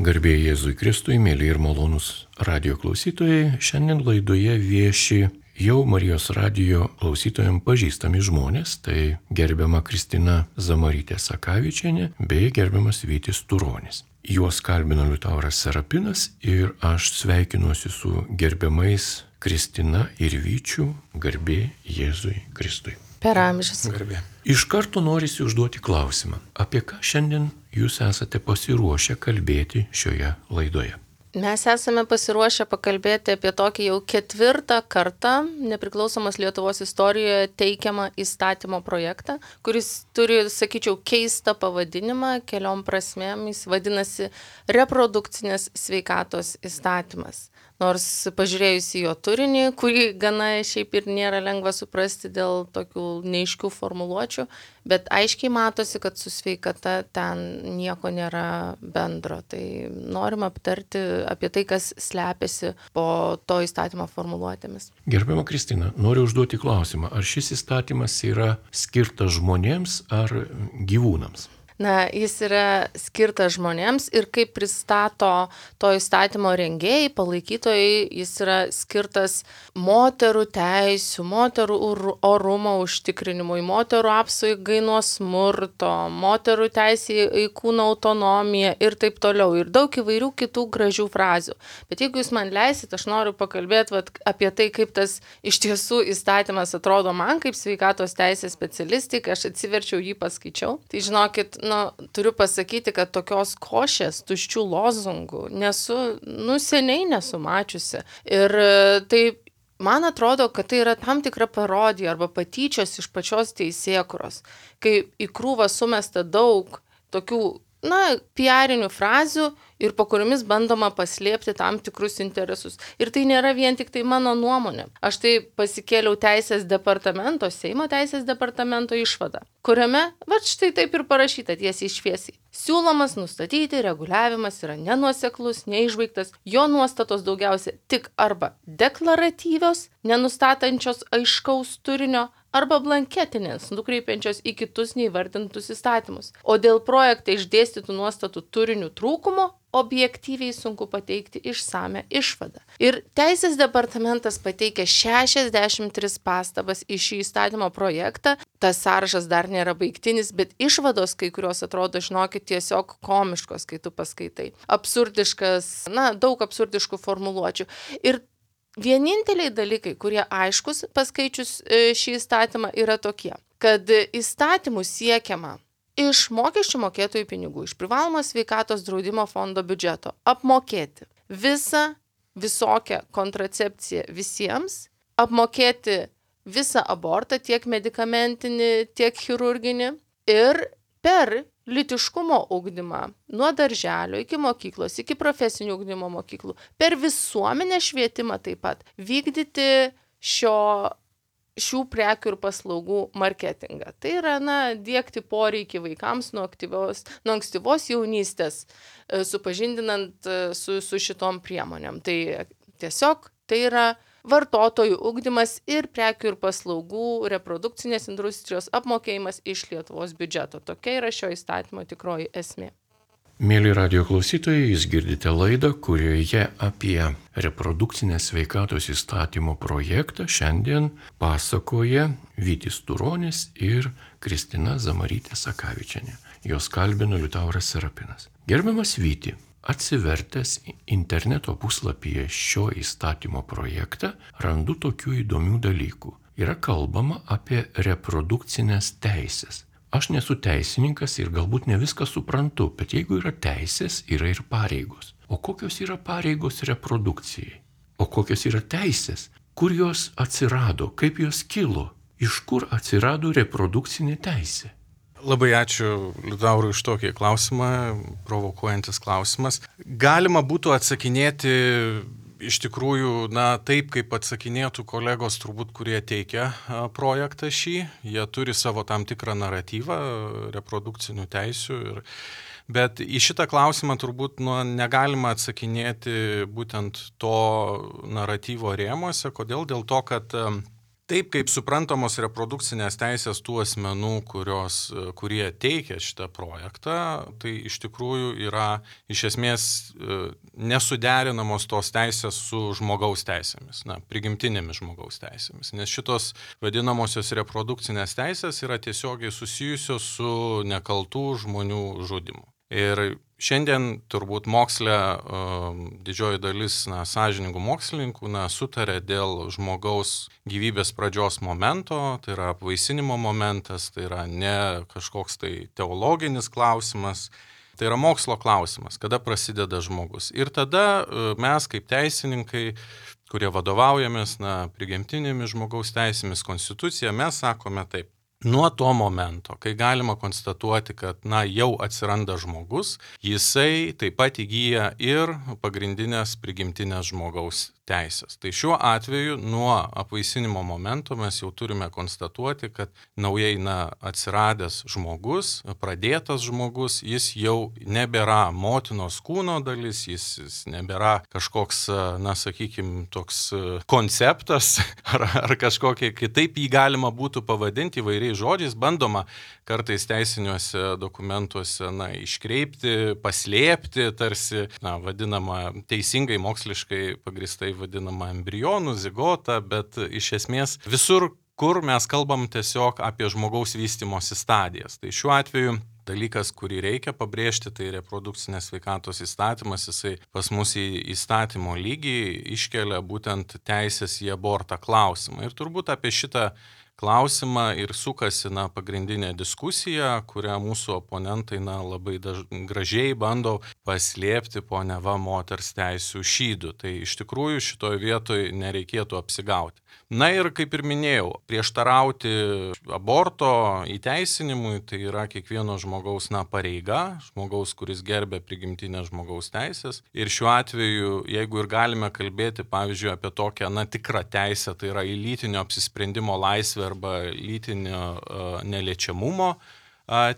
Garbė Jėzui Kristui, mėly ir malonūs radio klausytojai, šiandien laidoje vieši jau Marijos radio klausytojams pažįstami žmonės, tai gerbiama Kristina Zamarytė Sakavičienė bei gerbiamas Vytis Turonis. Juos kalbino Liutauras Serapinas ir aš sveikinuosi su gerbiamais Kristina ir Vyčiu, garbė Jėzui Kristui. Per amžius. Garbė. Iš karto norisi užduoti klausimą, apie ką šiandien jūs esate pasiruošę kalbėti šioje laidoje. Mes esame pasiruošę pakalbėti apie tokį jau 4. kartą nepriklausomos Lietuvos istorijoje teikiamą įstatymo projektą, kuris turi, sakyčiau, keistą pavadinimą keliom prasmėm. Jis vadinasi reprodukcinės sveikatos įstatymas. Nors pažiūrėjus į jo turinį, kurį gana šiaip ir nėra lengva suprasti dėl tokių neaiškių formuluočių, bet aiškiai matosi, kad su sveikata ten nieko nėra bendro. Tai norim aptarti apie tai, kas slepiasi po to įstatymo formuluotėmis. Gerbiama Kristina, noriu užduoti klausimą, ar šis įstatymas yra skirtas žmonėms ar gyvūnams? Na, jis yra skirtas žmonėms ir kaip pristato to įstatymo rengėjai, palaikytojai, jis yra skirtas moterų teisių, moterų orumo užtikrinimui, moterų apsaugai nuo smurto, moterų teisė į kūno autonomiją ir taip toliau. Ir daug įvairių kitų gražių frazių. Bet jeigu jūs man leisit, aš noriu pakalbėti apie tai, kaip tas iš tiesų įstatymas atrodo man kaip sveikatos teisės specialistai, kai aš atsiverčiau jį paskaičiau. Tai žinokit, turiu pasakyti, kad tokios košės, tuščių lozungų seniai nesu mačiusi. Ir tai man atrodo, kad tai yra tam tikra parodija arba patyčios iš pačios teisėkūros, kai į krūvą sumesta daug tokių piarinių frazių ir po kuriomis bandoma paslėpti tam tikrus interesus. Ir tai nėra vien tik tai mano nuomonė. Aš tai pasikėliau Seimo teisės departamento išvadą, kuriame, štai taip ir parašyta tiesiai šviesiai. Siūlomas nustatyti reguliavimas yra nenuoseklus, neišbaigtas, jo nuostatos daugiausia tik arba deklaratyvios, nenustatančios aiškaus turinio, arba blanketinės, nukreipiančios į kitus neįvardintus įstatymus. O dėl projekte išdėstytų nuostatų turinių trūkumo objektyviai sunku pateikti išsame išvadą. Ir Teisės departamentas pateikė 63 pastabas į šį įstatymo projektą. Tas sąrašas dar nėra baigtinis, bet išvados kai kurios atrodo, žinokit, tiesiog komiškos, kai tu paskaitai. Absurdiškas, daug absurdiškų formuluočių. Ir vieninteliai dalykai, kurie aiškus paskaičius šį įstatymą, yra tokie, kad įstatymų siekiama iš mokesčių mokėtojų pinigų, iš privalomo sveikatos draudimo fondo biudžeto apmokėti visokią kontracepciją visiems, apmokėti visą abortą, tiek medikamentinį, tiek chirurginį, ir per lytiškumo ugdymą nuo darželio iki mokyklos, iki profesinių ugdymo mokyklų, per visuomenės švietimą taip pat vykdyti šių prekių ir paslaugų marketingą. Tai yra, diegti poreikį vaikams nuo ankstyvos jaunystės, supažindinant su šitom priemonėm. Tai tiesiog tai yra vartotojų ugdymas ir prekių ir paslaugų reprodukcinės industrijos apmokėjimas iš Lietuvos biudžeto. Tokia yra šio įstatymo tikroji esmė. Mėly radio klausytojai, jūs girdite laidą, kurioje apie reprodukcinės sveikatos įstatymo projektą šiandien pasakoja Vytis Turonis ir Kristina Zamarytė Sakavičienė. Jos kalbino Liutauras Serapinas. Gerbiamas Vyti, atsivertęs interneto puslapyje šio įstatymo projektą, randu tokių įdomių dalykų. Yra kalbama apie reprodukcinės teisės. Aš nesu teisininkas ir galbūt ne viską suprantu, bet jeigu yra teisės, yra ir pareigos. O kokios yra pareigos reprodukcijai? O kokios yra teisės? Kur jos atsirado? Kaip jos kilo? Iš kur atsirado reprodukcinė teisė? Labai ačiū Liutaurui už tokį klausimą, provokuojantis klausimas. Galima būtų atsakinėti iš tikrųjų, taip kaip atsakinėtų kolegos turbūt, kurie teikia projektą šį. Jie turi savo tam tikrą naratyvą reprodukcinių teisių. Bet į šitą klausimą turbūt negalima atsakinėti būtent to naratyvo rėmuose. Kodėl? Dėl to, kad Taip, kaip suprantamos reprodukcinės teisės tų asmenų, kurie teikia šitą projektą, tai iš tikrųjų yra iš esmės nesuderinamos tos teisės su žmogaus teisėmis, prigimtinėmis žmogaus teisėmis, nes šitos vadinamosios reprodukcinės teisės yra tiesiogiai susijusios su nekaltų žmonių žudymu. Ir šiandien turbūt moksle didžioji dalis sąžiningų mokslininkų sutarė dėl žmogaus gyvybės pradžios momento, tai yra apvaisinimo momentas, tai yra ne kažkoks tai teologinis klausimas, tai yra mokslo klausimas, kada prasideda žmogus. Ir tada mes kaip teisininkai, kurie vadovaujamės prigimtinėmis žmogaus teisėmis, konstitucija, mes sakome taip. Nuo to momento, kai galima konstatuoti, kad jau atsiranda žmogus, jisai taip pat įgyja ir pagrindinės prigimtinės žmogaus teisės. Tai šiuo atveju nuo apvaisinimo momento mes jau turime konstatuoti, kad naujai atsiradęs žmogus, pradėtas žmogus, jis jau nebėra motinos kūno dalis, jis nebėra kažkoks, sakykime, toks konceptas ar kažkokie kitaip jį galima būtų pavadinti įvairiais žodžiais, bandoma kartais teisiniuose dokumentuose iškreipti, paslėpti, tarsi vadinama teisingai moksliškai pagristai vadinama embrionų, zigota, bet iš esmės visur, kur mes kalbam tiesiog apie žmogaus vystymosi stadijas. Tai šiuo atveju dalykas, kurį reikia pabrėžti, tai reprodukcinės sveikatos įstatymas, jisai pas mus į įstatymo lygį iškelia būtent teisės į abortą klausimą. Ir turbūt apie šitą klausimą ir sukasi pagrindinė diskusija, kurią mūsų oponentai labai gražiai bando paslėpti po neva moters teisių šydu. Tai iš tikrųjų šitoje vietoje nereikėtų apsigauti. Ir kaip ir minėjau, prieštarauti aborto įteisinimui tai yra kiekvieno žmogaus pareiga, žmogaus, kuris gerbia prigimtinę žmogaus teisės. Ir šiuo atveju, jeigu ir galime kalbėti, pavyzdžiui, apie tokią tikrą teisę, tai yra į lytinio apsisprendimo laisvę arba lytinio neliečiamumo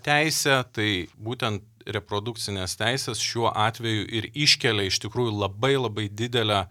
teisę, tai būtent reprodukcinės teisės šiuo atveju ir iškelia iš tikrųjų labai didelę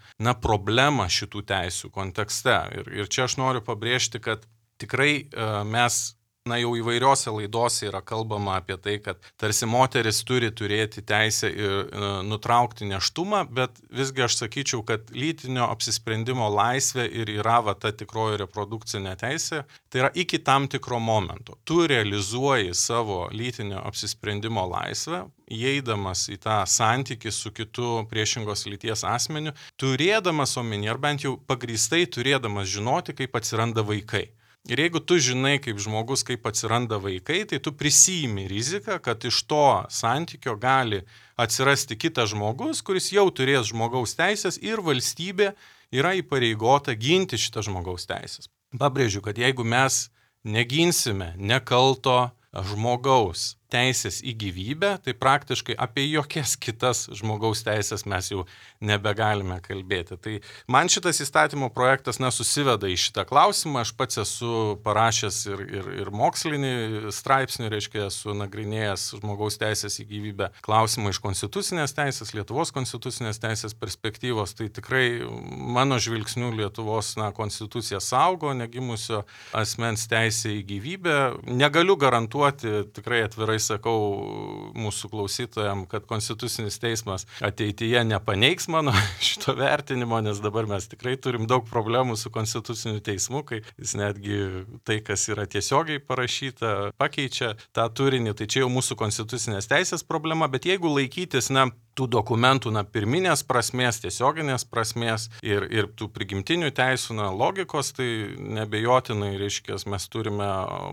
problemą šitų teisių kontekste. Ir čia aš noriu pabrėžti, kad tikrai mes jau įvairiose laidose yra kalbama apie tai, kad tarsi moteris turi turėti teisę ir nutraukti nėštumą, bet visgi aš sakyčiau, kad lytinio apsisprendimo laisvė ir yra ta tikroji reprodukcinė teisė, tai yra iki tam tikro momento. Tu realizuoji savo lytinio apsisprendimo laisvę, įeidamas į tą santykį su kitu priešingos lyties asmeniu, turėdamas omeny, ar bent jau pagrįstai turėdamas žinoti, kaip atsiranda vaikai. Ir jeigu tu žinai kaip žmogus, kaip atsiranda vaikai, tai tu prisiimi riziką, kad iš to santykio gali atsirasti kitas žmogus, kuris jau turės žmogaus teisės ir valstybė yra įpareigota ginti šitą žmogaus teisės. Pabrėžiu, kad jeigu mes neginsime nekalto žmogaus teisės į gyvybę, tai praktiškai apie jokias kitas žmogaus teisės mes jau nebegalime kalbėti. Tai man šitas įstatymo projektas susiveda į šitą klausimą. Aš pats esu parašęs ir mokslinį straipsnį, reiškia, esu nagrinėjęs žmogaus teisės į gyvybę klausimą iš konstitucinės teisės, Lietuvos konstitucinės teisės perspektyvos. Tai tikrai mano žvilgsniu Lietuvos konstitucija saugo negimusio asmens teisę į gyvybę. Negaliu garantuoti, tikrai atvirai sakau mūsų klausytojams, kad Konstitucinis teismas ateityje nepaneigs mano šito vertinimo, nes dabar mes tikrai turim daug problemų su Konstituciniu teismu, kai jis netgi tai, kas yra tiesiogiai parašyta, pakeičia tą turinį. Tai čia jau mūsų konstitucinės teisės problema, bet jeigu laikytis tų dokumentų pirminės prasmės, tiesioginės prasmės ir tų prigimtinių teisų logikos, tai nebejotinai, reiškia, mes turime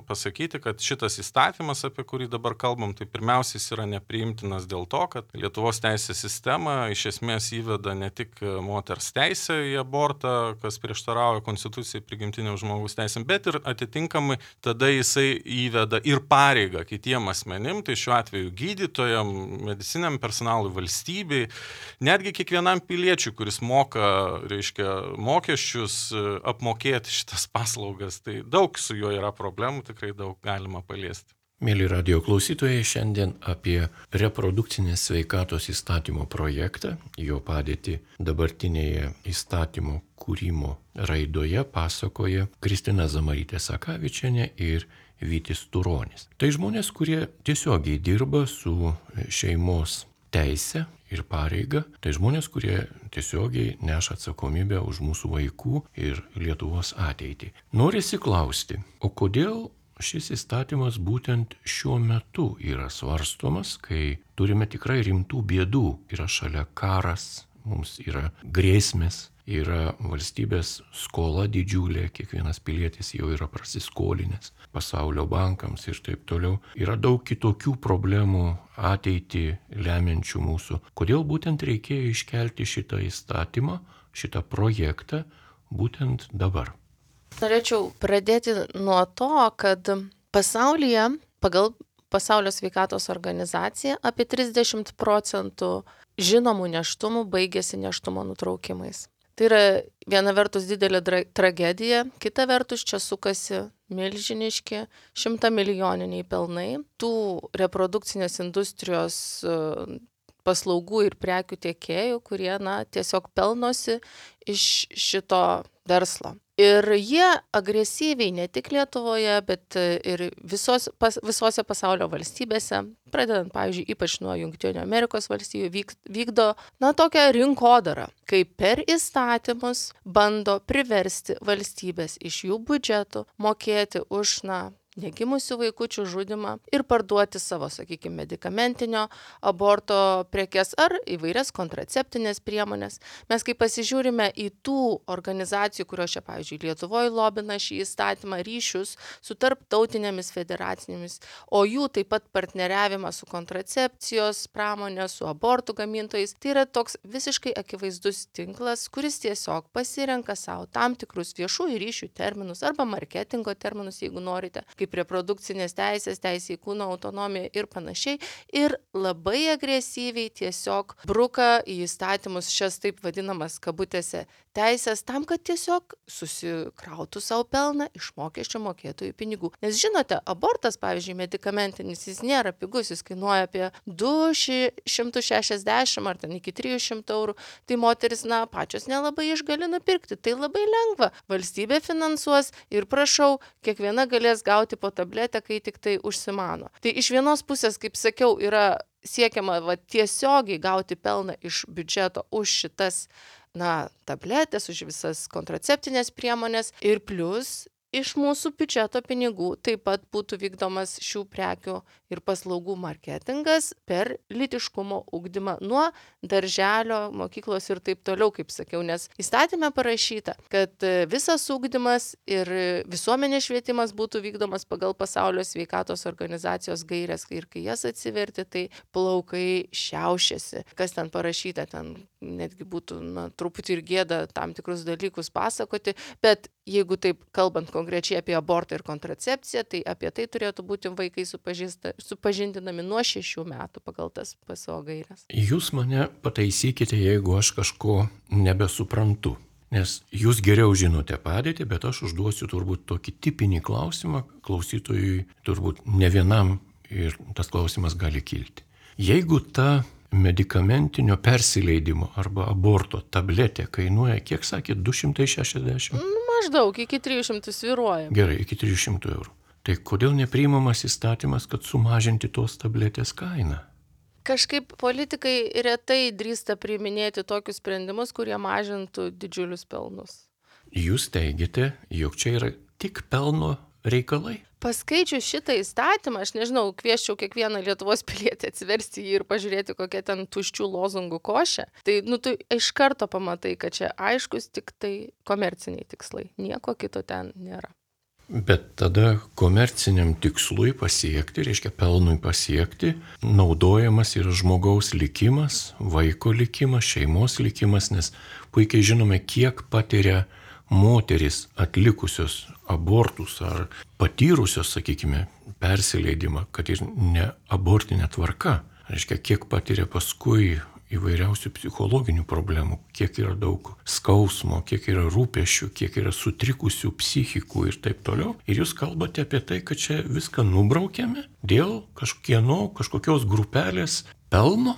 pasakyti, kad šitas įstatymas, apie kurį dabar kalbam, tai pirmiausiai yra nepriimtinas dėl to, kad Lietuvos teisės sistema iš esmės įveda ne tik moters teisę į abortą, kas prieštarauja konstitucijai prigimtiniam žmogaus teisėm, bet ir atitinkamai tada jisai įveda ir pareigą kitiem asmenim, tai šiuo atveju gydytojam, mediciniam personalui, valstybei, netgi kiekvienam piliečiui, kuris moka, reiškia, mokesčius, apmokėti šitas paslaugas. Tai daug su juo yra problemų, tikrai daug galima paliesti. Mėly radio klausytojai, šiandien apie reprodukcinės sveikatos įstatymo projektą, jo padėtį dabartinėje įstatymo kūrimo raidoje pasakoja Kristina Zamarytė-Sakavičienė ir Vytis Turonis. Tai žmonės, kurie tiesiogiai dirba su šeimos teise ir pareiga, tai žmonės, kurie tiesiogiai neša atsakomybę už mūsų vaikų ir Lietuvos ateitį. Norisi klausti, o kodėl šis įstatymas būtent šiuo metu yra svarstomas, kai turime tikrai rimtų bėdų. Yra šalia karas, mums yra grėsmės, yra valstybės skola didžiulė, kiekvienas pilietis jau yra prasiskolinęs pasaulio bankams ir taip toliau. Yra daug kitokių problemų ateitį lemiančių mūsų. Kodėl būtent reikėjo iškelti šitą įstatymą, šitą projektą būtent dabar? Norėčiau pradėti nuo to, kad pasaulyje, pagal Pasaulio sveikatos organizaciją, apie 30% žinomų nėštumų baigėsi nėštumo nutraukimais. Tai yra viena vertus didelė tragedija, kita vertus čia sukasi milžiniški 100-milijoniniai pelnai. Tų reprodukcinės industrijos paslaugų ir prekių tiekėjų, kurie tiesiog pelnosi iš šito verslo. Ir jie agresyviai ne tik Lietuvoje, bet ir visose pasaulio valstybėse, pradedant, pavyzdžiui, ypač nuo Jungtinių Amerikos valstijų, vykdo tokią rinkodarą, kai per įstatymus bando priversti valstybės iš jų biudžetų mokėti už negimusių vaikučių žudymą ir parduoti savo, sakykime, medikamentinio aborto prekes ar įvairias kontraceptinės priemonės. Mes kai pasižiūrime į tų organizacijų, kurios čia, pavyzdžiui, Lietuvoje lobina šį įstatymą, ryšius su tarptautinėmis federacinėmis, o jų taip pat partneriavimą su kontracepcijos pramonė, su abortų gamintojais, tai yra toks visiškai akivaizdus tinklas, kuris tiesiog pasirenka savo tam tikrus viešųjų ryšių terminus arba marketingo terminus, jeigu norite, kaip reprodukcinės teisės, teisė į kūno autonomiją ir panašiai. Ir labai agresyviai tiesiog bruka į įstatymus šias taip vadinamas kabutėse teisės tam, kad tiesiog susikrautų savo pelną iš mokesčio mokėtojų pinigų. Nes žinote, abortas, pavyzdžiui, medikamentinis, jis nėra pigus, jis kainuoja apie 260 ar ten iki 300 eurų. Tai moteris, pačios nelabai išgali nupirkti. Tai labai lengva. Valstybė finansuos ir prašau, kiekviena galės gauti po tabletę, kai tik tai užsimano. Tai iš vienos pusės, kaip sakiau, yra siekiama tiesiogiai gauti pelną iš biudžeto už šitas tabletės, už visas kontraceptinės priemonės ir plus iš mūsų biudžeto pinigų taip pat būtų vykdomas šių prekių ir paslaugų marketingas per lytiškumo ugdymą nuo darželio, mokyklos ir taip toliau, kaip sakiau, nes įstatyme parašyta, kad visas ugdymas ir visuomenės švietimas būtų vykdomas pagal Pasaulio sveikatos organizacijos gaires ir kai jas atsiverti, tai plaukai šiaušiasi. Kas ten parašyta, ten netgi būtų truputį ir gėda tam tikrus dalykus pasakoti, bet jeigu taip kalbant konkrečiai apie abortą ir kontracepciją, tai apie tai turėtų būti vaikai supažindinami nuo 6 metų pagal tas PSO gaires. Jūs mane pataisykite, jeigu aš kažko nebesuprantu, nes jūs geriau žinote padėtį, bet aš užduosiu turbūt tokį tipinį klausimą, klausytojui turbūt ne vienam ir tas klausimas gali kilti. Jeigu ta medikamentinio persileidimo arba aborto tabletė kainuoja, kiek sakėt, 260? Maždaug iki 300 svyruoja. Gerai, iki 300 eurų. Tai kodėl nepriimamas įstatymas, kad sumažinti tos tabletės kainą? Kažkaip politikai retai drįsta priiminėti tokius sprendimus, kurie mažintų didžiulius pelnus. Jūs teigiate, jog čia yra tik pelno reikalai? Paskaičius šitą įstatymą, aš nežinau, kviesčiau kiekvieną Lietuvos pilietį atsiversti jį ir pažiūrėti, kokia ten tuščių lozungų košė. Tai, tu iš karto pamatai, kad čia aiškus tik tai komerciniai tikslai. Nieko kito ten nėra. Bet tada komerciniam tikslui pasiekti, reiškia pelnui pasiekti, naudojamas yra žmogaus likimas, vaiko likimas, šeimos likimas, nes puikiai žinome, kiek patiria moteris atlikusios abortus ar patyrusios, sakykime, persileidimą, kad ir ne abortinė tvarka. Reiškia, kiek patiria paskui įvairiausių psichologinių problemų, kiek yra daug skausmo, kiek yra rūpesčių, kiek yra sutrikusių psichikų ir taip toliau. Ir jūs kalbate apie tai, kad čia viską nubraukiame dėl kažkokios grupelės pelno.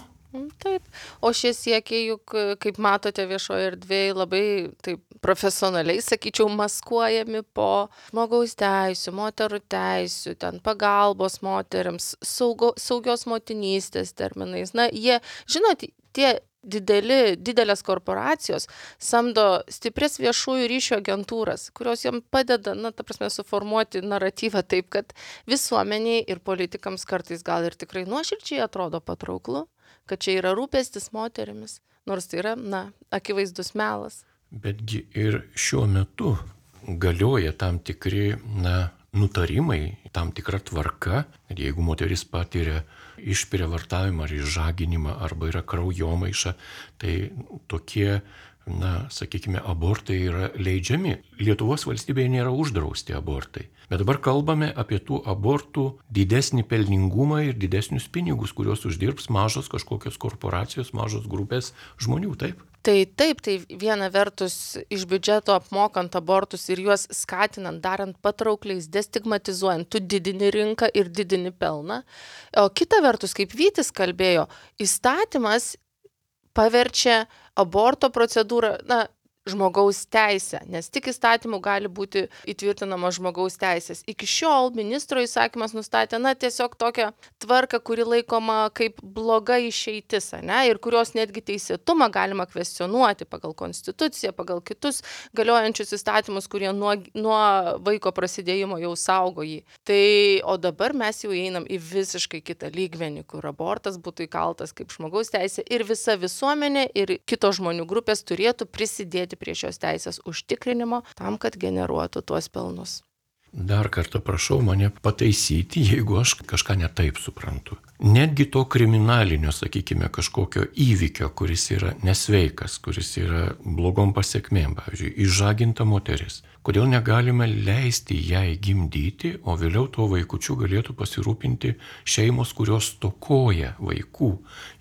Taip, o šie siekiai juk, kaip matote viešoje erdvėje, labai taip profesionaliai, sakyčiau, maskuojami po žmogaus teisių, moterų teisių, ten pagalbos moteriams, saugios motinystės terminais. Na, jie, žinot, tie didelės korporacijos samdo stiprias viešųjų ryšių agentūras, kurios jam padeda, suformuoti naratyvą taip, kad visuomeniai ir politikams kartais gal ir tikrai nuoširdžiai atrodo patrauklu, kad čia yra rūpestis moterimis, nors tai yra, akivaizdus melas. Betgi ir šiuo metu galioja tam tikri, nutarimai, tam tikra tvarka, kad jeigu moteris patiria išprievartavimą ar išžaginimą arba yra kraujomaiša, tai tokie, sakykime, abortai yra leidžiami. Lietuvos valstybėje nėra uždrausti abortai. Bet dabar kalbame apie tų abortų didesnį pelningumą ir didesnius pinigus, kuriuos uždirbs mažos kažkokios korporacijos, mažos grupės žmonių, taip? Tai taip, tai viena vertus iš biudžeto apmokant abortus ir juos skatinant, darant patraukliais, destigmatizuojant, tu didini rinką ir didini pelną. O kita vertus, kaip Vytis kalbėjo, įstatymas paverčia aborto procedūrą, žmogaus teisę, nes tik įstatymų gali būti įtvirtinama žmogaus teisės. Iki šiol ministro įsakymas nustatė, tiesiog tokią tvarką, kuri laikoma kaip bloga išeitis, ir kurios netgi teisėtumą galima kvestionuoti pagal konstituciją, pagal kitus galiojančius įstatymus, kurie nuo vaiko prasidėjimo jau saugo jį. Tai, o dabar mes jau einam į visiškai kitą lygmenį, kur abortas būtų įkaltas kaip žmogaus teisė ir visa visuomenė ir kitos žmonių grupės turėtų prisidėti prie šios teisės užtikrinimo tam, kad generuotų tuos pelnus. Dar kartą prašau mane pataisyti, jeigu aš kažką netaip suprantu. Netgi to kriminalinio, sakykime, kažkokio įvykio, kuris yra nesveikas, kuris yra blogom pasiekmėm, pavyzdžiui, išžaginta moteris. Kodėl negalime leisti jai gimdyti, o vėliau tuo vaikučiu galėtų pasirūpinti šeimos, kurios stokoja vaikų.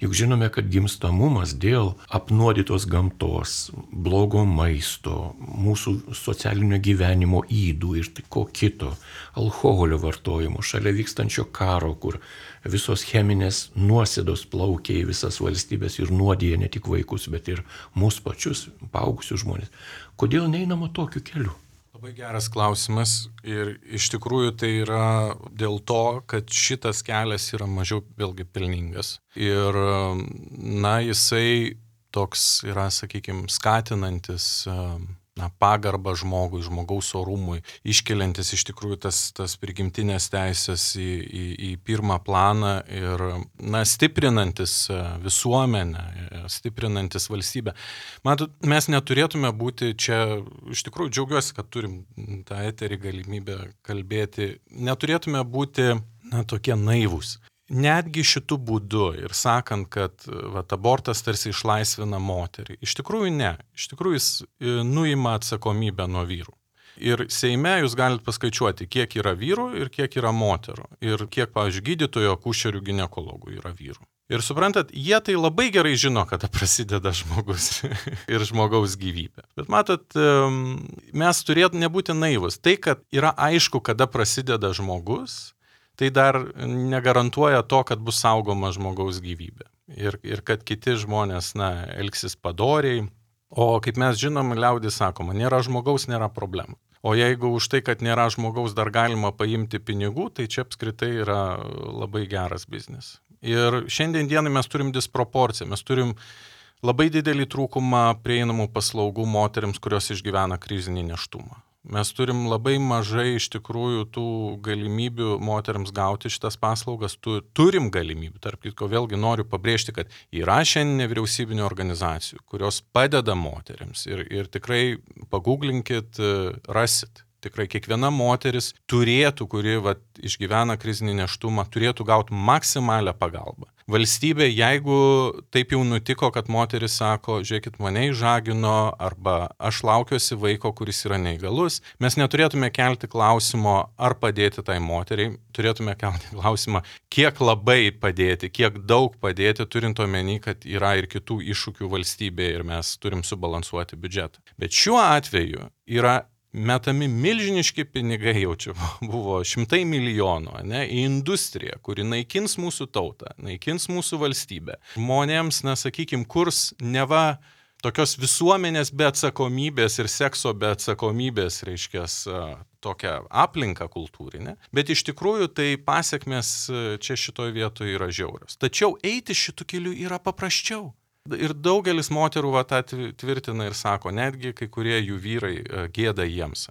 Juk žinome, kad gimstamumas dėl apnuodytos gamtos, blogo maisto, mūsų socialinio gyvenimo ydų ir ko kito, alkoholio vartojimo, šalia vykstančio karo, kur visos cheminės nuosėdos plaukia į visas valstybės ir nuodija ne tik vaikus, bet ir mūsų pačius, paaugusius žmonės. Kodėl neinama tokiu keliu? Labai geras klausimas ir iš tikrųjų tai yra dėl to, kad šitas kelias yra mažiau vėlgi pelningas. Ir, jisai toks yra, sakykime, skatinantis pagarbą žmogui, žmogaus orumui, iškeliantis iš tikrųjų tas prigimtinės teisės į pirmą planą ir stiprinantis visuomenę, stiprinantis valstybę. Matot, mes neturėtume būti čia, iš tikrųjų džiaugiuosi, kad turim tą eterį galimybę kalbėti, neturėtume būti tokie naivūs. Netgi šitų būdų ir sakant, kad abortas tarsi išlaisvina moterį. Iš tikrųjų ne. Iš tikrųjų jis nuima atsakomybę nuo vyrų. Ir Seime jūs galite paskaičiuoti, kiek yra vyrų ir kiek yra moterų. Ir kiek, pavyzdžiui, gydytojų, akušerių, ginekologų yra vyrų. Ir suprantat, jie tai labai gerai žino, kada prasideda žmogus ir žmogaus gyvybė. Bet matot, mes turėtume nebūti naivus. Tai, kad yra aišku, kada prasideda žmogus, tai dar negarantuoja to, kad bus saugoma žmogaus gyvybė. Ir kad kiti žmonės, elgsis padoriai. O kaip mes žinom, liaudis sakoma, nėra žmogaus, nėra problemų. O jeigu už tai, kad nėra žmogaus, dar galima paimti pinigų, tai čia apskritai yra labai geras biznis. Ir šiandien dienai mes turim disproporciją, mes turim labai didelį trūkumą prieinamų paslaugų moteriams, kurios išgyvena krizinį nėštumą. Mes turim labai mažai iš tikrųjų tų galimybių moteriams gauti šitas paslaugas, turim galimybių. Tarp kitko, vėlgi noriu pabrėžti, kad yra šiandien nevyriausybinių organizacijų, kurios padeda moteriams ir tikrai paguglinkit, rasit. Tikrai kiekviena moteris turėtų, kuri išgyvena krizinį nėštumą, turėtų gauti maksimalią pagalbą. Valstybė, jeigu taip jau nutiko, kad moteris sako, žiūrėkit, mane išžagino, arba aš laukiuosi vaiko, kuris yra neįgalus, mes neturėtume kelti klausimo, ar padėti tai moteriai, turėtume kelti klausimą, kiek labai padėti, kiek daug padėti, turint omeny, kad yra ir kitų iššūkių valstybėje ir mes turim subalansuoti biudžetą. Bet šiuo atveju yra metami milžiniški pinigai, jau čia buvo 100 milijonų, į industriją, kuri naikins mūsų tautą, naikins mūsų valstybę. Žmonėms, sakykime, kurs neva tokios visuomenės be atsakomybės ir sekso be atsakomybės, reiškia, tokią aplinką kultūrinę, bet iš tikrųjų tai pasiekmes čia šitoje vietoje yra žiaurios. Tačiau eiti šitų kelių yra paprasčiau. Ir daugelis moterų tą tvirtina ir sako, netgi kai kurie jų vyrai gėda jiems,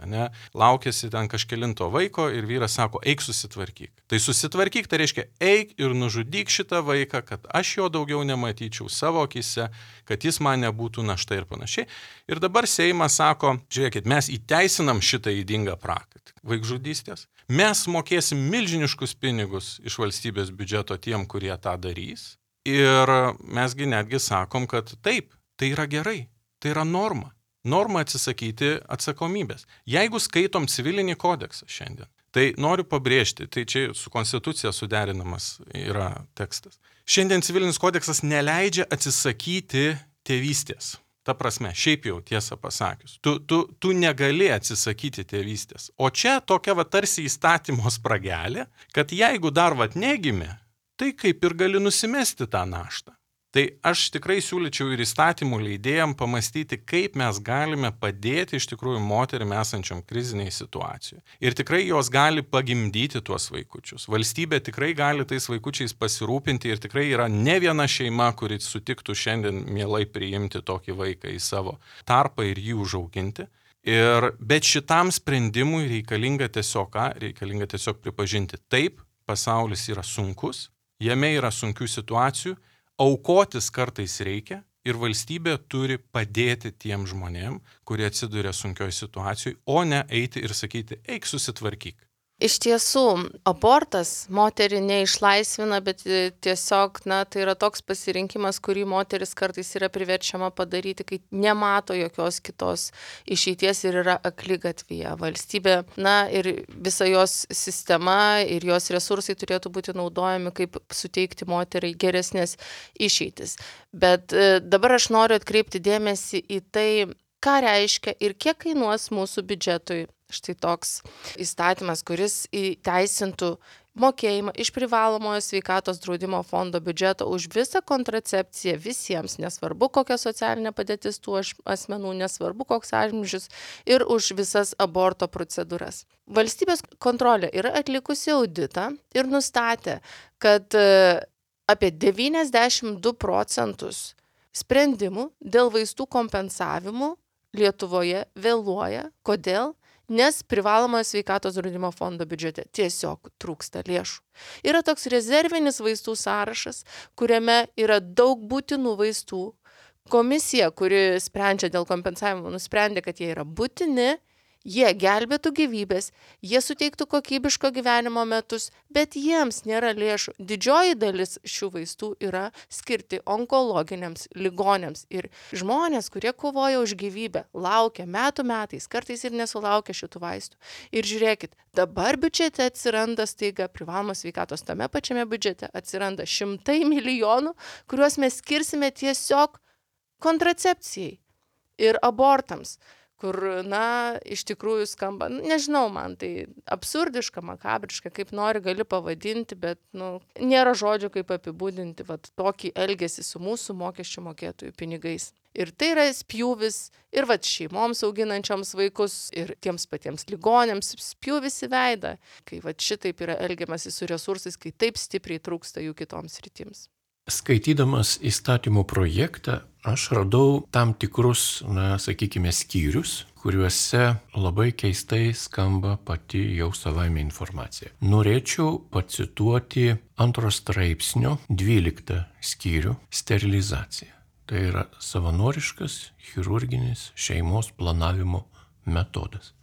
laukiasi ten kažkelinto vaiko ir vyras sako, eik susitvarkyk. Tai susitvarkyk, tai reiškia, eik ir nužudyk šitą vaiką, kad aš jo daugiau nematyčiau savo akise, kad jis man nebūtų našta ir panašiai. Ir dabar Seimas sako, žiūrėkit, mes įteisinam šitą ydingą praktiką vaikžudystės, mes mokėsim milžiniškus pinigus iš valstybės biudžeto tiem, kurie tą darys. Ir mesgi netgi sakom, kad taip, tai yra gerai, tai yra norma. Norma atsisakyti atsakomybės. Jeigu skaitom civilinį kodeksą šiandien, tai noriu pabrėžti, tai čia su konstitucija suderinamas yra tekstas. Šiandien civilinis kodeksas neleidžia atsisakyti tėvystės. Ta prasme, šiaip jau tiesą pasakius, tu negali atsisakyti tėvystės. O čia tokia tarsi įstatymo spragelė, kad jeigu dar negimė, tai kaip ir gali nusimesti tą naštą. Tai aš tikrai siūlyčiau ir įstatymų leidėjam pamastyti, kaip mes galime padėti iš tikrųjų moterim esančiam kriziniai situacijai. Ir tikrai jos gali pagimdyti tuos vaikučius. Valstybė tikrai gali tais vaikučiais pasirūpinti ir tikrai yra ne viena šeima, kuri sutiktų šiandien mielai priimti tokį vaiką į savo tarpą ir jį užauginti. Bet šitam sprendimui reikalinga tiesiog pripažinti, taip, pasaulis yra sunkus, jame yra sunkių situacijų, aukotis kartais reikia ir valstybė turi padėti tiem žmonėm, kurie atsiduria sunkioj situacijoj, o ne eiti ir sakyti, eik susitvarkyk. Iš tiesų, abortas moterį neišlaisvina, bet tiesiog, tai yra toks pasirinkimas, kurį moteris kartais yra priverčiama padaryti, kai nemato jokios kitos išeities ir yra akligatvyje. Valstybė, ir visa jos sistema ir jos resursai turėtų būti naudojami, kaip suteikti moteriai geresnės išeitis. Bet dabar aš noriu atkreipti dėmesį į tai, ką reiškia ir kiek kainuos mūsų biudžetui štai toks įstatymas, kuris įteisintų mokėjimą iš privalomojo sveikatos draudimo fondo biudžeto už visą kontracepciją visiems, nesvarbu kokia socialinė padėtis tų asmenų, nesvarbu koks amžius ir už visas aborto procedūras. Valstybės kontrolė yra atlikusi auditą ir nustatė, kad apie 92% sprendimų dėl vaistų kompensavimų Lietuvoje vėluoja. Kodėl? Nes privalomojo sveikatos draudimo fondo biudžete tiesiog trūksta lėšų. Yra toks rezervinis vaistų sąrašas, kuriame yra daug būtinų vaistų. Komisija, kuri sprendžia dėl kompensavimo, nusprendė, kad jie yra būtini, jie gelbėtų gyvybės, jie suteiktų kokybiško gyvenimo metus, bet jiems nėra lėšų. Didžioji dalis šių vaistų yra skirti onkologiniams ligoniams. Ir žmonės, kurie kovoja už gyvybę, laukia metais, kartais ir nesulaukia šitų vaistų. Ir žiūrėkit, dabar biudžete atsiranda staiga privalomos sveikatos, tame pačiame biudžete atsiranda 100 milijonų, kuriuos mes skirsime tiesiog kontracepcijai ir abortams. Kur, iš tikrųjų skamba, nežinau, man tai absurdiška, makabriška, kaip nori gali pavadinti, bet, nėra žodžių, kaip apibūdinti tokį elgesį su mūsų mokesčių mokėtojų pinigais. Ir tai yra spjūvis ir šeimoms auginančioms vaikus ir tiems patiems ligonėms spjūvis į veidą, kai šitaip yra elgiamasi su resursais, kai taip stipriai trūksta jų kitoms sritims. Skaitydamas įstatymo projektą, aš radau tam tikrus, sakykime, skyrius, kuriuose labai keistai skamba pati jau savaime informacija. Norėčiau pacituoti 2 straipsnio 12 skyrių sterilizacija. Tai yra savanoriškas chirurginis šeimos planavimo metodas.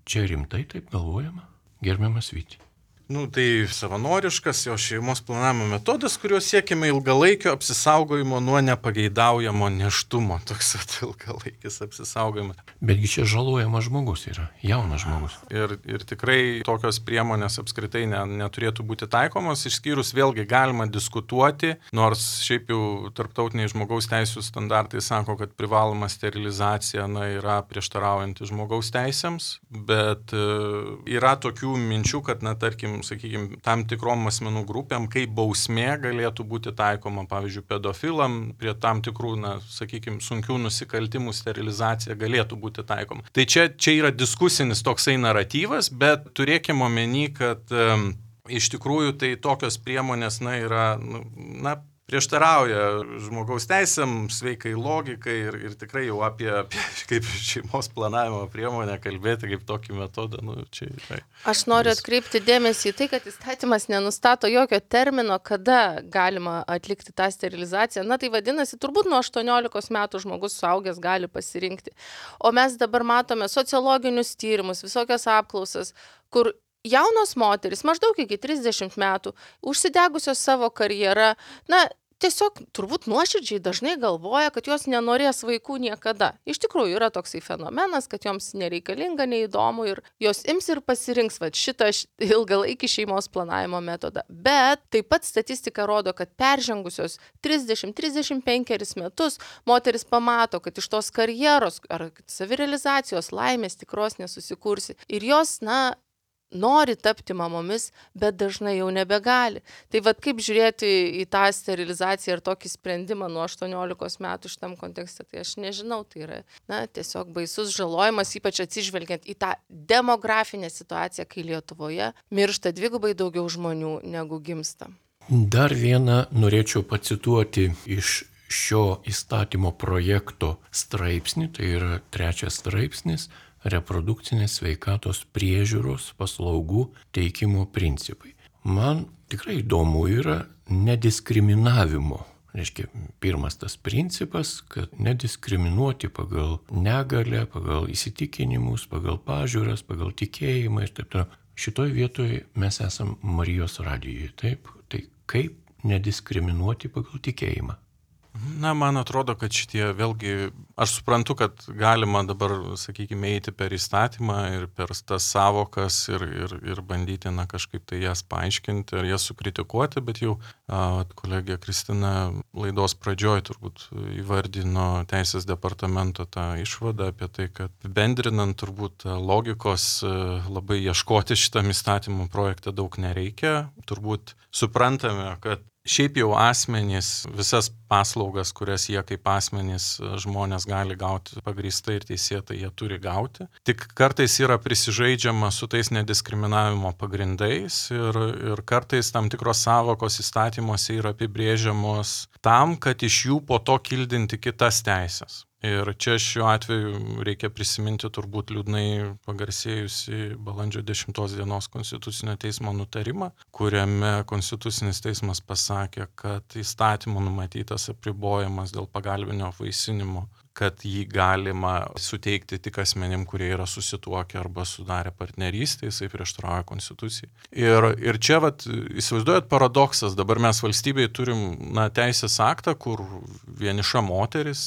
čia rimtai taip galvojama, gerbiamas Vyti? Tai savanoriškas jo šeimos planavimo metodas, kuriuo siekime ilgalaikio apsisaugojimo nuo nepageidaujamo nėštumo. Toks ilgalaikis apsisaugojimas. Betgi čia žalojamas žmogus yra, jaunas žmogus. Ir tikrai tokios priemonės apskritai neturėtų būti taikomos, išskyrus vėlgi galima diskutuoti, nors šiaip jau tarptautiniai žmogaus teisų standartai sako, kad privaloma sterilizacija yra prieštaraujanti žmogaus teisėms, bet yra tokių minčių, kad, tarkim, sakykime, tam tikrom asmenų grupėm, kaip bausmė galėtų būti taikoma, pavyzdžiui, pedofilam, prie tam tikrų, sakykime, sunkių nusikaltimų sterilizacija galėtų būti taikoma. Tai čia yra diskusinis toksai naratyvas, bet turėkime omeny, kad iš tikrųjų tai tokios priemonės, yra, prieštarauja žmogaus teisėm, sveikai logikai ir tikrai jau apie kaip šeimos planavimo priemonę kalbėti kaip tokį metodą. Čia. Aš noriu atkreipti dėmesį į tai, kad įstatymas nenustato jokio termino, kada galima atlikti tą sterilizaciją. Tai vadinasi, turbūt nuo 18 metų žmogus suaugęs gali pasirinkti. O mes dabar matome sociologinius tyrimus, visokias apklausas, kur jaunos moteris, maždaug iki 30 metų, užsidegusios savo karjerą, tiesiog turbūt nuoširdžiai dažnai galvoja, kad jos nenorės vaikų niekada. Iš tikrųjų yra toksai fenomenas, kad joms nereikalinga, neįdomu ir jos ims ir pasirinks šitą ilgalaikį šeimos planavimo metodą. Bet taip pat statistika rodo, kad peržengusios 30-35 metus moteris pamato, kad iš tos karjeros ar savirealizacijos laimės tikros nesusikursi. Ir jos, nori tapti mamomis, bet dažnai jau nebegali. Tai kaip žiūrėti į tą sterilizaciją ir tokį sprendimą nuo 18 metų šitam kontekste, tai aš nežinau, tai yra tiesiog baisus žalojimas, ypač atsižvelgiant į tą demografinę situaciją, kai Lietuvoje miršta 2x daugiau žmonių negu gimsta. Dar vieną norėčiau pacituoti iš šio įstatymo projekto straipsnį, tai yra 3 straipsnis, reprodukcinės sveikatos priežiūros paslaugų teikimo principai. Man tikrai įdomu yra nediskriminavimo. Reiškia, pirmas tas principas, kad nediskriminuoti pagal negalę, pagal įsitikinimus, pagal pažiūras, pagal tikėjimą ir taip toliau. Šitoj vietoje mes esam Marijos radijoje, taip? Tai kaip nediskriminuoti pagal tikėjimą? Man atrodo, kad šitie vėlgi, aš suprantu, kad galima dabar, sakykime, eiti per įstatymą ir per tas savokas ir bandyti, kažkaip tai jas paaiškinti ar jas sukritikuoti, bet jau kolegė Kristina laidos pradžioj turbūt įvardino Teisės departamento tą išvadą apie tai, kad bendrinant turbūt logikos labai ieškoti šitam įstatymų projektą daug nereikia. Turbūt suprantame, kad šiaip jau asmenys, visas paslaugas, kurias jie kaip asmenys žmonės gali gauti pagrįstai ir teisėtai, jie turi gauti. Tik kartais yra prisižaidžiama su tais nediskriminavimo pagrindais ir kartais tam tikros savokos įstatymuose yra apibrėžiamos tam, kad iš jų po to kildinti kitas teisės. Ir čia šiuo atveju reikia prisiminti turbūt liūdnai pagarsėjusi balandžio 10 dienos Konstitucinio teismo nutarimą, kuriame Konstitucinis teismas pasakė, kad įstatymų numatytas apribojimas dėl pagalbinio apvaisinimo, kad jį galima suteikti tik asmenim, kurie yra susituokę arba sudarę partnerystę, jisai prieštarauja Konstitucijai. Ir čia įsivaizduojat paradoksas, dabar mes valstybėje turim teisės aktą, kur vieniša moteris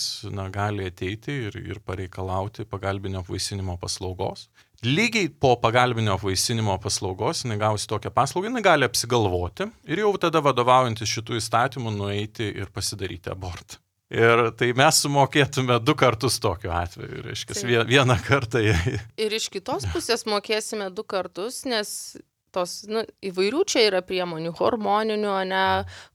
gali ateiti ir pareikalauti pagalbinio apvaisinimo paslaugos. Lygiai po pagalbinio apvaisinimo paslaugos, jinai gausi tokią paslaugą, jinai gali apsigalvoti ir jau tada vadovaujantis šitų įstatymų nueiti ir pasidaryti abortą. Ir tai mes sumokėtume 2 kartus tokiu atveju, reiškia, vieną kartą. Ir iš kitos pusės mokėsime 2 kartus, nes tos įvairių čia yra priemonių, hormoninių,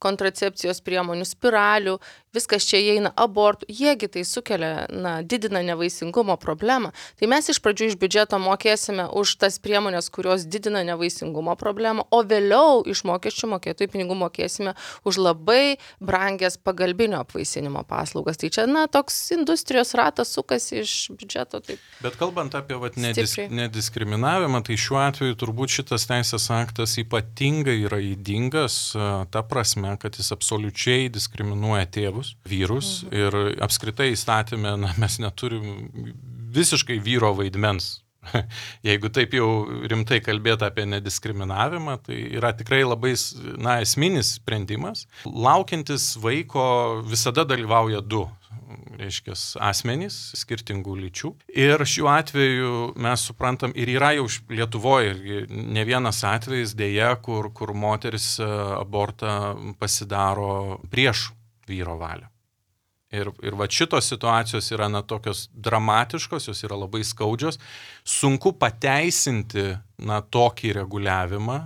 kontracepcijos priemonių, spiralių, viskas čia įeina, abortų, jiegi tai sukelia, didina nevaisingumo problemą. Tai mes iš pradžių iš biudžeto mokėsime už tas priemonės, kurios didina nevaisingumo problemą, o vėliau iš mokesčių mokėtojų pinigų mokėsime už labai brangias pagalbinio apvaisinimo paslaugas. Tai čia, toks industrijos ratas sukasi iš biudžeto. Taip. Bet kalbant apie nediskriminavimą, tai šiuo atveju turbūt šitas teisės aktas ypatingai yra ydingas ta prasme, kad jis absoliučiai diskriminuoja tėvus, vyrus ir apskritai įstatymę mes neturim visiškai vyro vaidmens jeigu taip jau rimtai kalbėti apie nediskriminavimą, tai yra tikrai labai esminis sprendimas. Laukiantis vaiko visada dalyvauja du, reiškia, asmenys skirtingų lyčių. Ir šiuo atveju mes suprantam, ir yra jau Lietuvoje ne vienas atvejis dėja, kur moteris abortą pasidaro prieš vyro valią. Ir va šitos situacijos yra tokios dramatiškos, jos yra labai skaudžios. Sunku pateisinti tokį reguliavimą,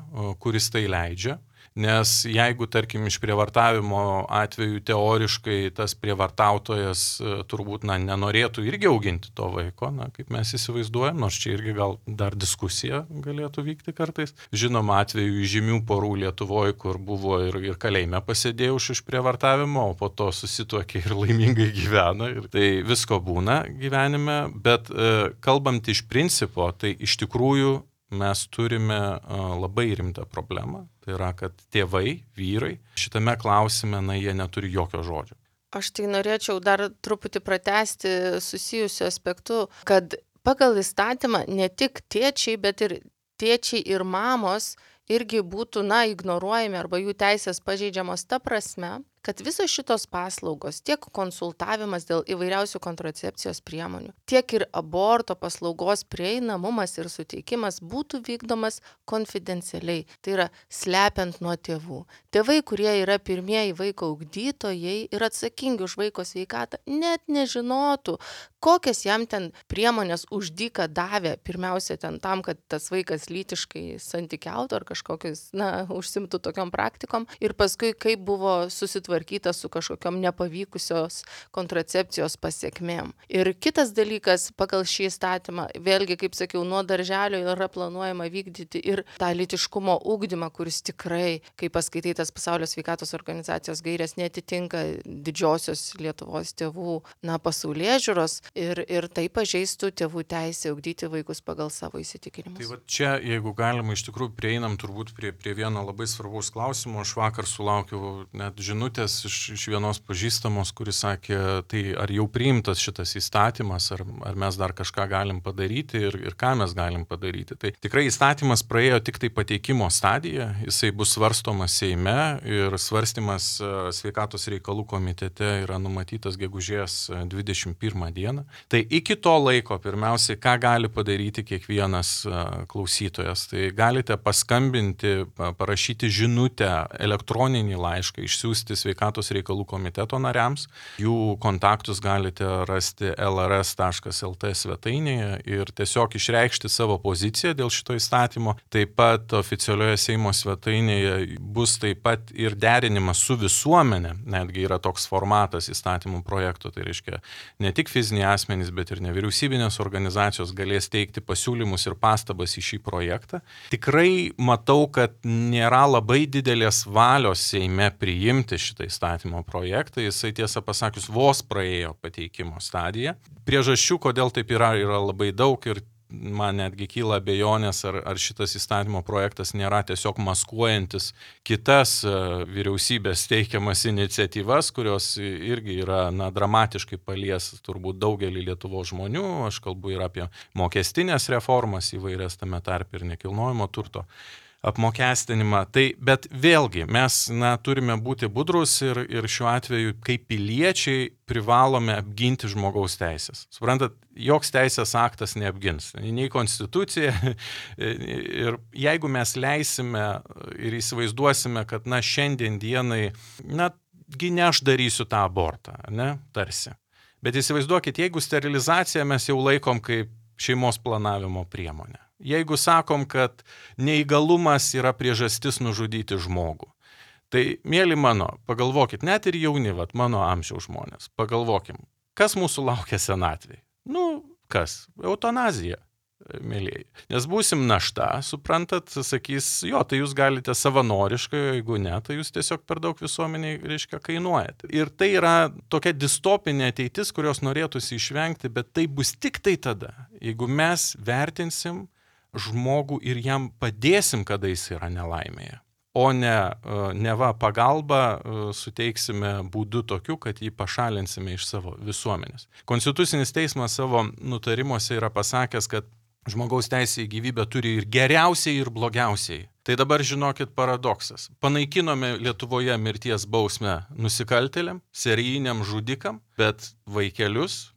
kuris tai leidžia. Nes jeigu, tarkim, išprievartavimo atveju teoriškai tas prievartautojas turbūt nenorėtų irgi auginti to vaiko, kaip mes įsivaizduojam, nors čia irgi gal dar diskusija galėtų vykti kartais. Žinoma, atveju žymių porų Lietuvoje, kur buvo ir kalėjime pasėdėjo už išprievartavimo, o po to susituokė ir laimingai gyvena. Ir tai visko būna gyvenime, bet kalbant iš principo, tai iš tikrųjų mes turime labai rimtą problemą. Tai yra, kad tėvai, vyrai, šitame klausime, jie neturi jokio žodžio. Aš tai norėčiau dar truputį pratęsti susijusiu aspektu, kad pagal įstatymą ne tik tėčiai, bet ir tėčiai ir mamos irgi būtų, ignoruojami arba jų teisės pažeidžiamos ta prasme, kad visos šitos paslaugos, tiek konsultavimas dėl įvairiausių kontracepcijos priemonių, tiek ir aborto paslaugos prieinamumas ir suteikimas būtų vykdomas konfidencialiai. Tai yra slepiant nuo tėvų. Tėvai, kurie yra pirmieji vaiko ugdytojai ir atsakingi už vaiko sveikatą, net nežinotų, kokias jam ten priemonės už dyką davė, pirmiausia ten tam, kad tas vaikas lytiškai santykiautų ar kažkokius, užsimtų tokiom praktikom, ir paskui kaip buvo susitvarkyta su kažkokiom nepavykusios kontracepcijos pasiekmėm. Ir kitas dalykas, pagal šį įstatymą, vėlgi, kaip sakiau, nuo darželio yra planuojama vykdyti ir tą lytiškumo ugdymą, kuris tikrai, kai paskaitai tas Pasaulio sveikatos organizacijos gairės, netitinka didžiosios Lietuvos tėvų pasaulėžiūros ir tai pažeistų tėvų teisę ugdyti vaikus pagal savo įsitikinimus. Tai va čia, jeigu galima, iš tikrųjų prieinam turbūt prie vieno labai svarbaus klausimo. Aš vakar sulaukiau net žinutės iš vienos pažįstamos, kuris sakė, tai ar jau priimtas šitas įstatymas, ar mes dar kažką galim padaryti ir ką mes galim padaryti. Tai tikrai įstatymas praėjo tik tai pateikimo stadiją, jisai bus svarstomas Seime ir svarstymas sveikatos reikalų komitete yra numatytas gegužės 21 dieną. Tai iki to laiko, pirmiausiai, ką gali padaryti kiekvienas klausytojas, tai galite paskambinti, parašyti žinutę, elektroninį laišką, išsiųsti sveikatos reikalų komiteto nariams. Jų kontaktus galite rasti lrs.lt svetainėje ir tiesiog išreikšti savo poziciją dėl šito įstatymo. Taip pat oficialioje Seimo svetainėje bus taip pat ir derinimas su visuomenė, netgi yra toks formatas įstatymų projekto, tai reiškia ne tik fiziniai asmenys, bet ir nevyriausybinės organizacijos galės teikti pasiūlymus ir pastabas į šį projektą. Tikrai matau, kad nėra labai didelės valios Seime priimti šitą įstatymo projektą, jisai tiesą pasakius vos praėjo pateikimo stadiją. Priežasčių, kodėl taip yra labai daug ir man netgi kyla abejonės, ar šitas įstatymo projektas nėra tiesiog maskuojantis kitas vyriausybės teikiamas iniciatyvas, kurios irgi yra dramatiškai palies turbūt daugelį Lietuvos žmonių. Aš kalbu ir apie mokestinės reformas įvairias, tame tarpe ir nekilnojamo turto apmokestinimą. Bet vėlgi mes turime būti budrus ir šiuo atveju kaip piliečiai privalome apginti žmogaus teisės. Suprantat, joks teisės aktas neapgins, nei konstitucija. Ir jeigu mes leisime ir įsivaizduosime, kad šiandien dienai, ne aš darysiu tą abortą, tarsi. Bet įsivaizduokit, jeigu sterilizaciją mes jau laikom kaip šeimos planavimo priemonę. Jeigu sakom, kad neįgalumas yra priežastis nužudyti žmogų, tai, mėly mano, pagalvokit, net ir jauni, mano amžiaus žmonės, pagalvokim, kas mūsų laukia senatvėje? Kas? Eutanazija, mėlėjai. Nes būsim našta, suprantat, sakys, tai jūs galite savanoriškai, jeigu ne, tai jūs tiesiog per daug visuomeniai, kainuojate. Ir tai yra tokia distopinė ateitis, kurios norėtųsi išvengti, bet tai bus tik tai tada, jeigu mes vertinsim žmogų ir jam padėsim, kada jis yra nelaimėje, o ne pagalbą suteiksime būdu tokiu, kad jį pašalinsime iš savo visuomenės. Konstitucinis teismas savo nutarimuose yra pasakęs, kad žmogaus teisė į gyvybę turi ir geriausiai, ir blogiausiai. Tai dabar žinokit paradoksas. Panaikinome Lietuvoje mirties bausmę nusikaltėliam, serijiniam žudikam, bet vaikelius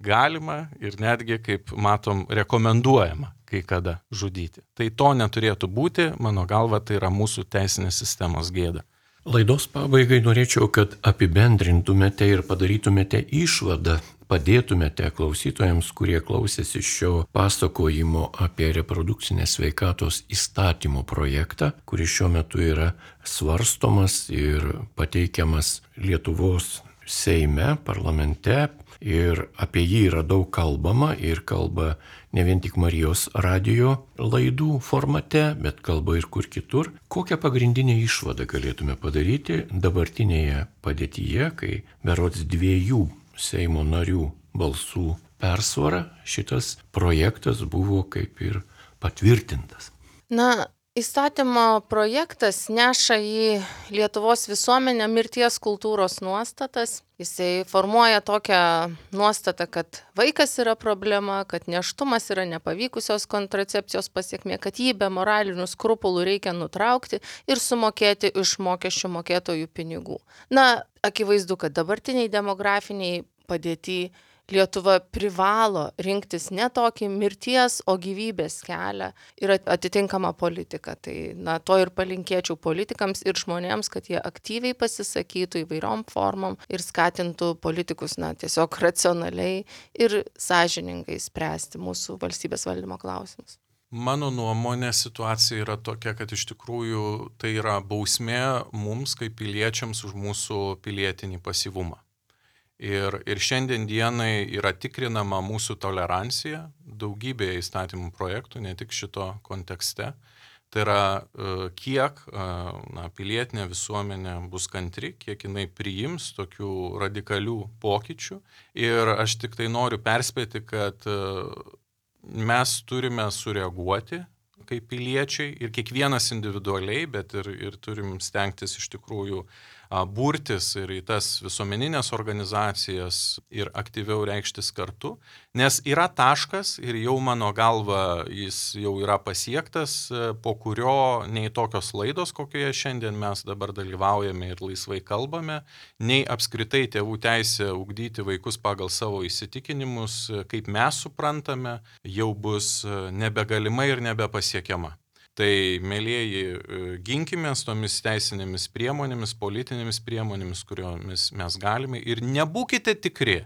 galima ir netgi, kaip matom, rekomenduojama kai kada žudyti. Tai to neturėtų būti, mano galva, tai yra mūsų teisinės sistemos gėda. Laidos pabaigai norėčiau, kad apibendrintumėte ir padarytumėte išvadą, padėtumėte klausytojams, kurie klausėsi šio pasakojimo apie reprodukcinės sveikatos įstatymo projektą, kuris šiuo metu yra svarstomas ir pateikiamas Lietuvos Seime, parlamente, ir apie jį yra daug kalbama ir kalba ne vien tik Marijos radijo laidų formate, bet kalba ir kur kitur. Kokią pagrindinę išvadą galėtume padaryti dabartinėje padėtyje, kai berods 2 Seimo narių balsų persvara šitas projektas buvo kaip ir patvirtintas? Įstatymo projektas neša į Lietuvos visuomenę mirties kultūros nuostatas. Jisai formuoja tokią nuostatą, kad vaikas yra problema, kad nėštumas yra nepavykusios kontracepcijos pasiekmė, kad jį be moralinių skrupulų reikia nutraukti ir sumokėti iš mokesčių mokėtojų pinigų. Akivaizdu, kad dabartiniai demografiniai padėty Lietuva privalo rinktis ne tokį mirties, o gyvybės kelią ir atitinkamą politiką. Tai to ir palinkėčiau politikams ir žmonėms, kad jie aktyviai pasisakytų įvairiom formom ir skatintų politikus tiesiog racionaliai ir sąžiningai spręsti mūsų valstybės valdymo klausimus. Mano nuomonė situacija yra tokia, kad iš tikrųjų tai yra bausmė mums kaip piliečiams už mūsų pilietinį pasyvumą. Ir šiandien dienai yra tikrinama mūsų tolerancija daugybėje įstatymų projektų, ne tik šito kontekste. Tai yra, kiek pilietinė visuomenė bus kantri, kiek jinai priims tokių radikalių pokyčių. Ir aš tik tai noriu perspėti, kad mes turime sureaguoti kaip piliečiai ir kiekvienas individualiai, bet ir turim stengtis iš tikrųjų burtis ir į tas visuomeninės organizacijas ir aktyviau reikštis kartu, nes yra taškas ir jau mano galva jis jau yra pasiektas, po kurio nei tokios laidos, kokioje šiandien mes dabar dalyvaujame ir laisvai kalbame, nei apskritai tėvų teisė ugdyti vaikus pagal savo įsitikinimus, kaip mes suprantame, jau bus nebegalima ir nebepasiekiama. Tai, mielieji, ginkimės tomis teisinėmis priemonėmis, politinėmis priemonėmis, kuriomis mes galime ir nebūkite tikri,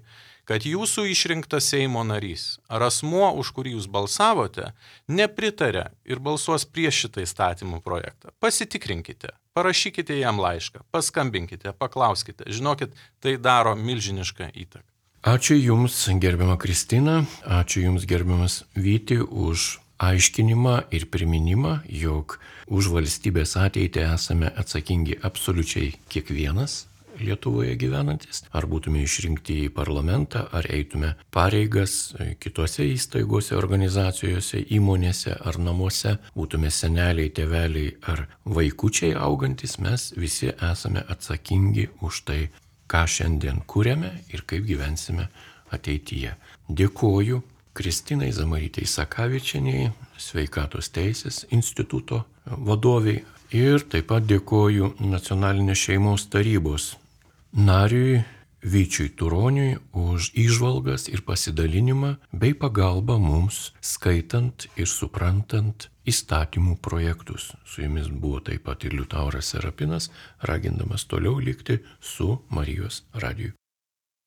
kad jūsų išrinktas Seimo narys ar asmuo, už kurį jūs balsavote, nepritarė ir balsuos prieš šitą įstatymų projektą. Pasitikrinkite, parašykite jam laišką, paskambinkite, paklauskite. Žinokit, tai daro milžinišką įtaką. Ačiū Jums, gerbiama Kristina, ačiū Jums, gerbiamas Vyti, už aiškinimą ir priminimą, jog už valstybės ateitį esame atsakingi absoliučiai kiekvienas Lietuvoje gyvenantis, ar būtume išrinkti į parlamentą, ar eitume pareigas kitose įstaigose, organizacijose, įmonėse ar namuose, būtume seneliai, tėveliai ar vaikučiai augantis, mes visi esame atsakingi už tai, ką šiandien kuriame ir kaip gyvensime ateityje. Dėkoju Kristinai Zamarytei Sakavičienei, Sveikatos teisės instituto vadoviai, ir taip pat dėkoju Nacionalinės šeimos tarybos nariui Vyčiui Turoniui už įžvalgas ir pasidalinimą bei pagalbą mums skaitant ir suprantant įstatymų projektus. Su jumis buvo taip pat ir Liutauras Serapinas, ragindamas toliau likti su Marijos radiju.